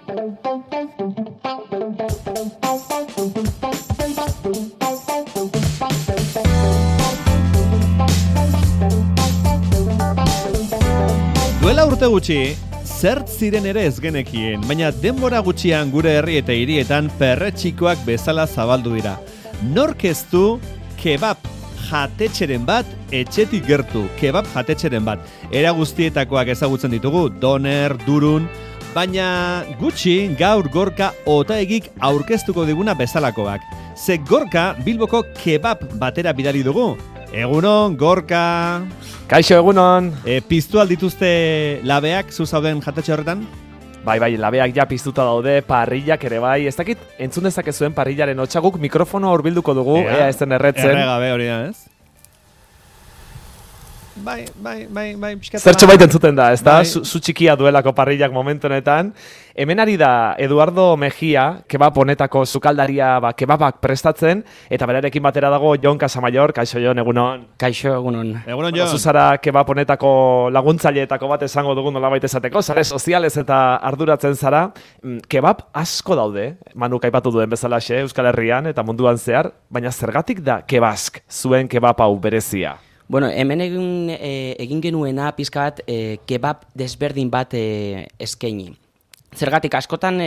Duela urte gutxi, zert ziren ere ez genekien, baina denbora gutxian gure herri eta hirietan perretxikoak bezala zabaldu dira. Nork ez du kebab jatetxeren bat etxetik gertu, kebab jatetxeren bat. Era guztietakoak ezagutzen ditugu, doner, durun, baina gutxi gaur Gorka Otaegik aurkeztuko diguna bezalakoak. Ze Gorka Bilboko kebab batera bidali dugu. Egunon, Gorka! Kaixo, egunon! Piztu aldituzte labeak zu zauden jatetxe horretan? Bai, labeak ja piztuta daude, parrillak ere bai. Ez dakit, entzun dezakezuen parrillaren hotxaguk mikrofono hurbilduko dugu, ea ez den erretzen. Erregabe hori da, ez? Bai, pixkata. Zertxo baita entzuten da, ez da? Zu txikia duelako parrillak momentu honetan. Hemen ari da Eduardo Mejia, kebab honetako sukaldaria kebabak prestatzen, eta berarekin batera dago Jon Casamayor. Kaixo, Jon, egunon. Kaixo, egunon. Egunon, Jon. Zuzara kebab honetako laguntzaileetako bat esango dugun nolabait esateko, sare sozialez eta arduratzen zara. Kebab asko daude, Manuk aipatu duen bezalaxe, Euskal Herrian eta munduan zehar, baina zergatik da kebask, zuen kebab hau berezia? Bueno, hemen egin genuena pizka bat kebab desberdin bat eskaini. Zergatik askotan,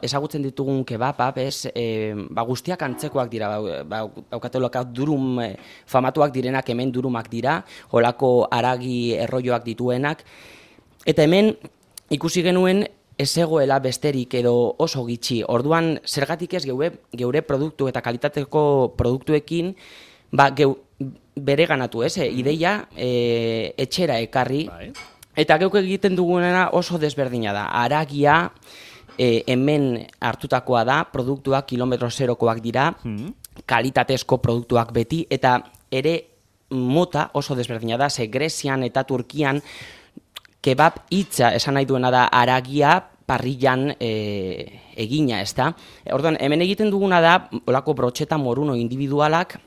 ezagutzen ditugun kebabak, guztiak antzekoak dira, daukateloak durum famatuak direnak, hemen durumak dira, holako haragi erroioak dituenak, eta hemen ikusi genuen ez egoela besterik edo oso gitxi. Orduan, zergatik ez geure produktu eta kalitateko produktuekin, bere ganatu, ideia etxera ekarri, eta geuk egiten dugunena oso desberdina da. Haragia hemen hartutakoa da, produktuak kilometro zerokoak dira, kalitatezko produktuak beti, eta ere mota oso desberdina da, ze Grezian eta Turkian kebab hitza esan nahi duena da haragia parrillan egina, ez da? Orduan, hemen egiten duguna da, olako brotxeta moruno individualak,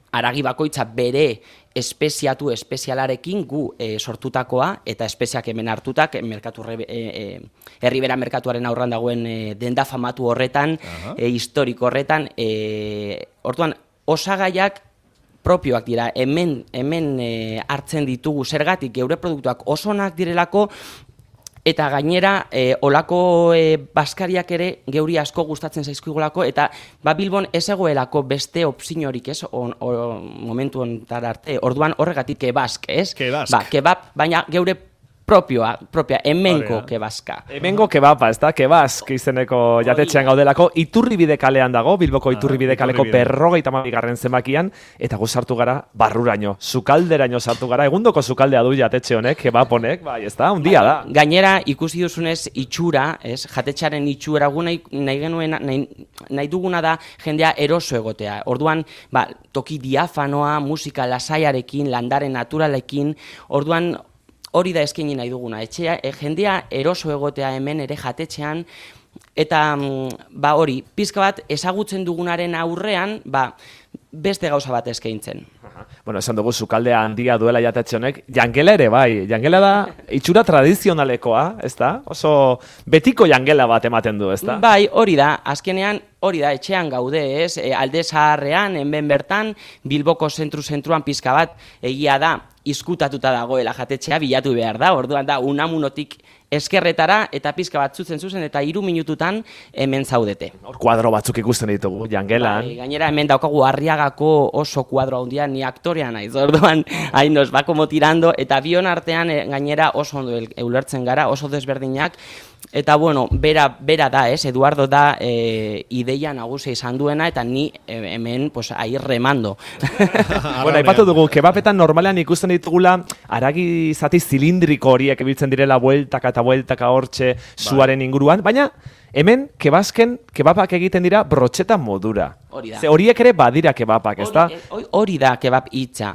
haragi bakoitza bere espezialarekin gu sortutakoa eta espeziak hemen hartutak Herribera merkatuaren aurran dagoen denda famatu horretan, historiko horretan. Orduan, osagaiak propioak dira, hemen hartzen ditugu zergatik geure produktuak osonak direlako, eta gainera, olako baskariak ere geuri asko gustatzen zaizkigulako, eta Bilbon ez egoelako beste opziorik, ez, momentu honetan arte. Orduan horregatik kebask, ez? Kebask. Kebab, baina geure propia, hemengo kebaska. Hemengo kebaba, ez da? Kebask izeneko jatetxean gaudelako. Iturribide kalean dago, Bilboko Iturribide kaleko 52. zenbakian, eta gu sartu gara barruraino, sukalderaino sartu gara. Egundoko sukaldea du jatetxe honek, kebab honek, bai, ez da? Undia da. Gainera, ikusi duzunez itxura, ez? Jatetxearen itxura, gu nahi duguna da jendea eroso egotea. Orduan, toki diafanoa, musika lasaiarekin, landare naturalekin, orduan, hori da eskaini nahi duguna, jendea eroso egotea hemen ere jatetxean, eta hori, pizka bat ezagutzen dugunaren aurrean, beste gauza bat eskaintzen. Bueno, esan dugu sukaldea handia duela jatetxe honek, jangela ere bai, jangela da itxura tradizionalekoa, ez da? Oso betiko jangela bat ematen du, ez da? Bai, hori da, azkenean hori da, etxean gaude, ez? Alde Zaharrean, hemen bertan, Bilboko zentruan pizka bat, egia da, izkutatuta dagoela jatetxea bilatu behar da, orduan da, Unamunotik eskerretara, eta pizka bat zuzen, eta 3 minututan hemen zaudete. Hor kuadro batzuk ikusten ditugu, jangelan. Gainera, hemen daukagu Arriagako oso kuadro handia, ni aktorea naiz, orduan, nos va como tirando, eta bion artean gainera oso ondo ulertzen gara, oso desberdinak, eta bueno, bera da, Eduardo da ideia nagusia izan duena, eta ni hemen, ahí remando. Bueno, aipatu dugu, kebapetan normalean ikusten ditugula, haragi zati zilindriko horiek ibiltzen direla bueltaka hortxe zuaren inguruan, baina hemen kebabak egiten dira brotxeta modura. Hori da. Ze horiek ere badira kebabak, ez da? Hori da kebab hitza.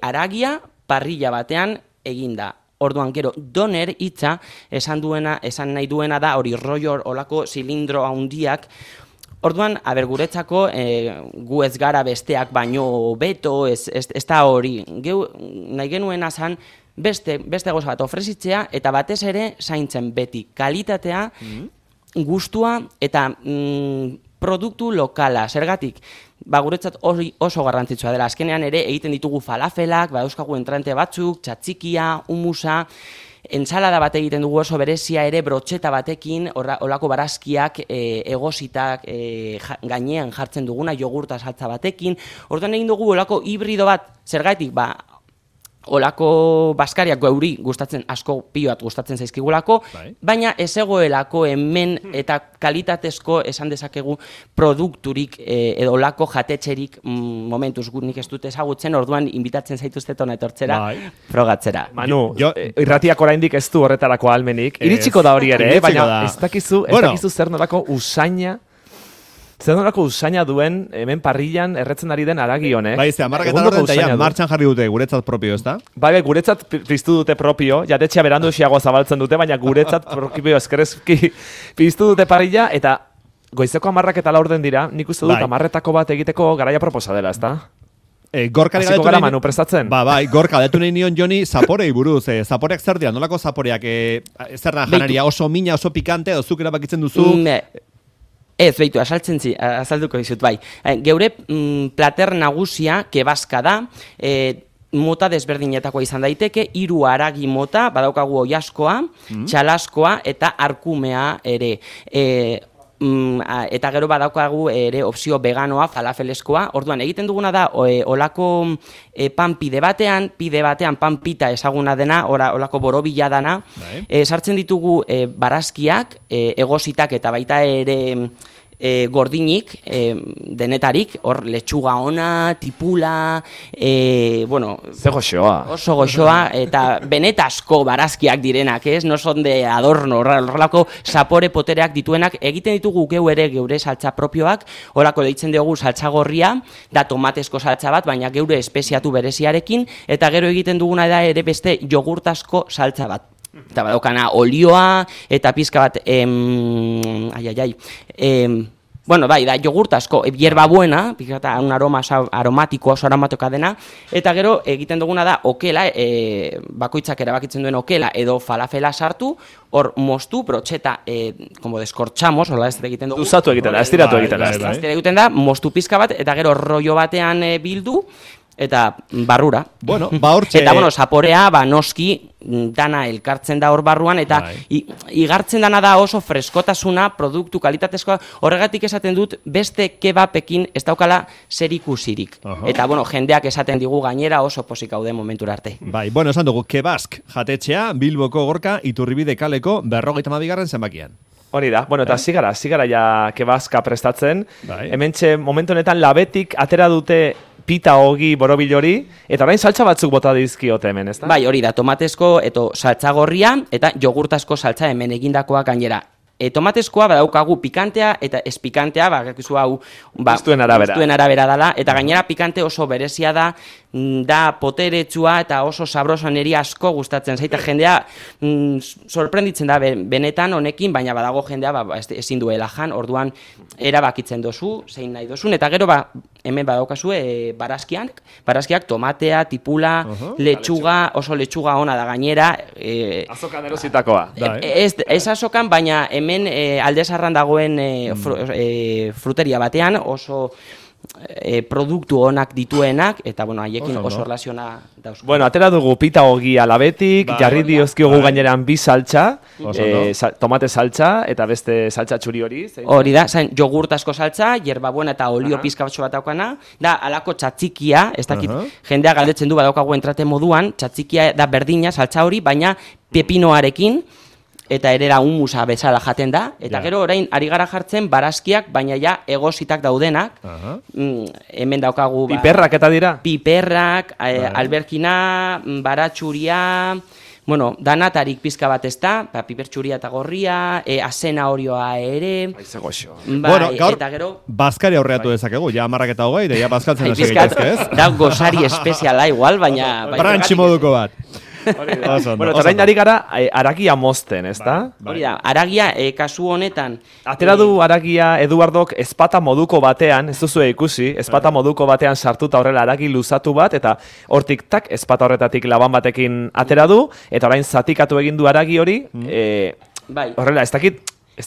Haragia parrilla batean eginda. Orduan gero doner hitza esan nahi duena da hori rollo olako zilindro handiak. Orduan, guretzako gu ez gara besteak baino beto, ez da hori. Nahi genuena zan beste gauza bat ofrezitzea, eta batez ere zaintzen beti kalitatea, gustua eta produktu lokala. Zergatik, guretzat oso garrantzitsua dela. Azkenean ere egiten ditugu falafelak, dauzkagu entrante batzuk, txatxikia, humusa, entsalada bat egiten dugu oso berezia ere brotxeta batekin, olako barazkiak egositak gainean jartzen duguna, jogurta saltza batekin. Orduan egin dugu olako hibrido bat, zergatik, olako baskariak geuri gustatzen, asko pioat gustatzen zaizkigulako, baina ez egoelako hemen eta kalitatezko esan dezakegu produkturik edo olako jatetxerik momentuz nik ez dut ezagutzen, orduan invitatzen zaituztet hona etortzera, frogatzera. Manu, irratiak oraindik ez du horretarako ahalmenik, iritsiko da hori ere, baina ez dakizu zer nolako usaina duen hemen parrillan erretzen ari den haragi honek. Bai, amarraketan horren eta martxan jarri dute guretzat propio, ez da? Bai, guretzat piztu dute propio, jatetxea berandu esiagoa zabaltzen dute, baina guretzat propio eskerezki piztu dute parrilla, eta goizeko 10:00 dira, nik uste dut 10:00 bat egiteko garaia proposa dela, ez da? Gorkari galetu gara Manu prestatzen. Bai, gorka galetu nahi nion Joni zaporei buruz. Zaporeak zer dira, nolako zaporeak zer da janaria, oso mina, oso pikante, edo zuk erabakitzen duzu? Ez, behitu, azalduko dizut, bai. Geure plater nagusia, kebaska da, mota desberdinetakoa izan daiteke, 3 haragi mota, badaukagu oiaskoa, txalaskoa eta arkumea ere. Eta gero badaukagu ere opzio veganoa, falafeleskoa. Orduan, egiten duguna da, olako pan pide batean pan pita ezaguna dena, olako borobila dana, sartzen ditugu barazkiak, egositak eta baita ere gordinik, denetarik, hor letxuga ona, tipula, ze goxoa. Oso goxoa, eta benetasko barazkiak direnak, ez? No son de adorno, horrelako zapore potereak dituenak, egiten ditugu geure saltza propioak, horako deitzen dugu saltza gorria, da tomatezko saltza bat, baina geure espeziatu bereziarekin, eta gero egiten duguna da ere beste jogurtasko saltza bat. Eta badaukana olioa, eta pizka bat, da jogurtasko, hierba buena, un aroma aromatiko, oso aromatikoa dena, eta gero egiten duguna da okela, bakoitzak erabakitzen duen okela edo falafela sartu, hor moztu, brotxeta, como deskortxamos, hola ez egiten dugu. Duzatu egiten da, estiratu egiten da. Estiratu egiten da, moztu pizka bat, eta gero rollo batean bildu, eta barrura. Eta, zaporea, noski, dana elkartzen da hor barruan, eta igartzen dana da oso freskotasuna, produktu kalitatezkoa, horregatik esaten dut, beste kebapekin ez daukala zerikusirik. Eta, jendeak esaten digu gainera oso posik haude momentura arte. Bai, esan dugu, kebask jatetxea, Bilboko Gorka, Iturribide kaleko 52. zenbakian. Hori da, eta zigara ja kebaska prestatzen. Hementxe, momentu honetan, labetik atera dute pita ogi borobil hori, eta orain saltza batzuk bota dizkiote hemen, ez da? Bai, hori da, tomatezko eta saltza gorria, eta jogurtasko saltza hemen egindakoa gainera. Tomatezkoa badaukagu pikantea eta ez pikantea, gustuen arabera dela, eta gainera pikante oso berezia da poteretsua eta oso sabroso niri asko gustatzen zaita jendea sorprenditzen da benetan honekin, baina badago jendea ezin duela jan, orduan erabakitzen dozu, zein nahi dozun, eta gero hemen badaukazu barazkiak, tomatea, tipula, letxuga, oso letxuga ona da gainera. Azokan erositakoa. Ez azokan, baina hemen Aldezarran dagoen fruteria batean oso produktu onak dituenak, eta haiekin oso relaziona dauz. Atera dugu pita ogia labetik, jarri diozkiogu gaineran bi saltza, tomate saltza, eta beste saltza txuri hori. Hori da, jogurtasko saltza, hierba buena eta olio pizka batxo bat daukana, da alako txatzikia, ez dakit, jendea galdetzen du badaukagu entrate moduan, txatzikia da berdina saltza hori, baina pepinoarekin, eta erera humusa bezala jaten da, eta gero orain ari gara jartzen barazkiak, baina ja egositak daudenak, hemen daukagu... Piperrak eta dira? Piperrak, alberkina, baratxuria, danatarik pizka bat ez da, pipertxuria eta gorria, azena horioa ere... Gaur, bazkari aurreatu dezakegu, ja 10:20, ja bazkaltzen hasi gaitezke, ez? Da gozari espeziala igual, baina... Brantxi moduko bat. Bueno, eta orain ari gara haragia mozten, ezta? Hori da, haragia kasu honetan... Atera du haragia Eduardok ezpata moduko batean, ez duzu ikusi, ezpata moduko batean sartuta horrela haragi luzatu bat, eta hortik tak, ezpata horretatik laban batekin atera du, eta orain zatikatu egin du haragi hori, horrela, ez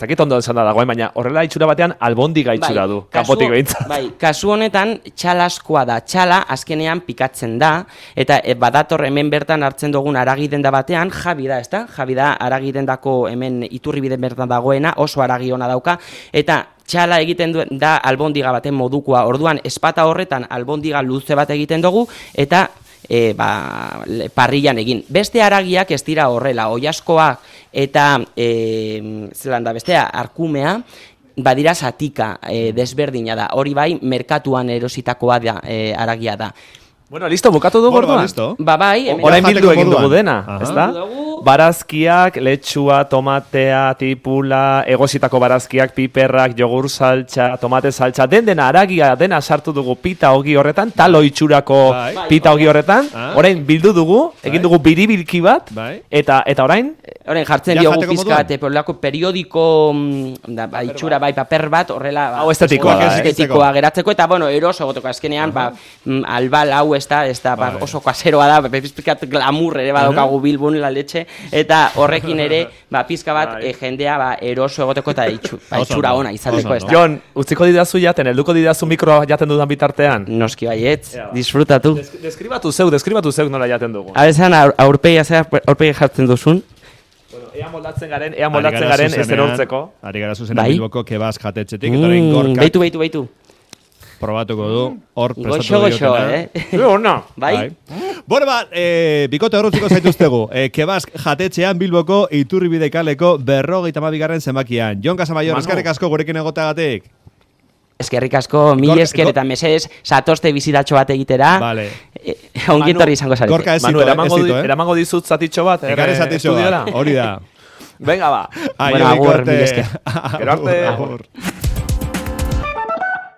dakit ondo esan da dagoen, baina horrela itxura batean albondiga itxura du, kanpotik behintzat. Bai, kasu honetan txalaskoa da, txala azkenean pikatzen da, eta badator hemen bertan hartzen dugun haragi denda batean, Javi da, ezta? Javi da haragi dendako hemen Iturribiden bertan dagoena, oso haragi ona dauka, eta txala egiten da albondiga baten modukoa, orduan espata horretan albondiga luze bat egiten dugu, eta parrillan egin. Beste haragiak ez dira horrela, oiaskoak eta zelan da bestea, arkumea, badira zatika desberdina da. Hori bai, merkatuan erositakoa da, haragia da. Bueno, listo, bukatu dugu orduan. Bai, orain bildu egin dugu dena, ezta? Barazkiak, letxua, tomatea, tipula, egositako barazkiak, piperrak, jogur saltza, tomate saltza, dena haragia, dena sartu dugu pita hogi horretan, talo itxurako pita hogi horretan, orain bildu dugu, egin dugu biribilki bat, eta orain jartzen diogu pizkat, periodiko itxura bai paper bat, horrela estetikoa geratzeko, eta bueno, eroso gotoko azkenean, albal hau ez da oso kaseroa da, pizkat glamur ere badokagu Bilbon la leche, eta horrekin ere pizka bat jendea eroso egoteko eta itxura ona izateko, ez da. Jon, utziko didazu jaten, helduko didazu mikroa jaten dudan bitartean? Noski baietz, disfrutatu. Deskribatu zeu nola jaten dugu. Abezan, aurpegi jartzen duzun. Ea moldatzen garen ez erortzeko. Ari gara zuzena Bilboko kebaz jatetxetik, eta orain gorka... Beitu. Probatuko du, hor prestatu goxo, Bai. Bueno, bikote horretziko zaituztegu. Kebaz jatetxean Bilboko Iturribide kaleko 52. zenbakian. Jon Casamayor, eskerrik asko gurekin egoteagatik. Eskerrik asko, mil esker eta mesedez satozte bizitatxo bat egitera. Vale. Ongietorri izango zarete. Gorka Manu, eramango dizut zatitxo bat. Ekarri zatitxo bat, hori da. Venga, ba. Bueno, agur, mil esker. Gero arte.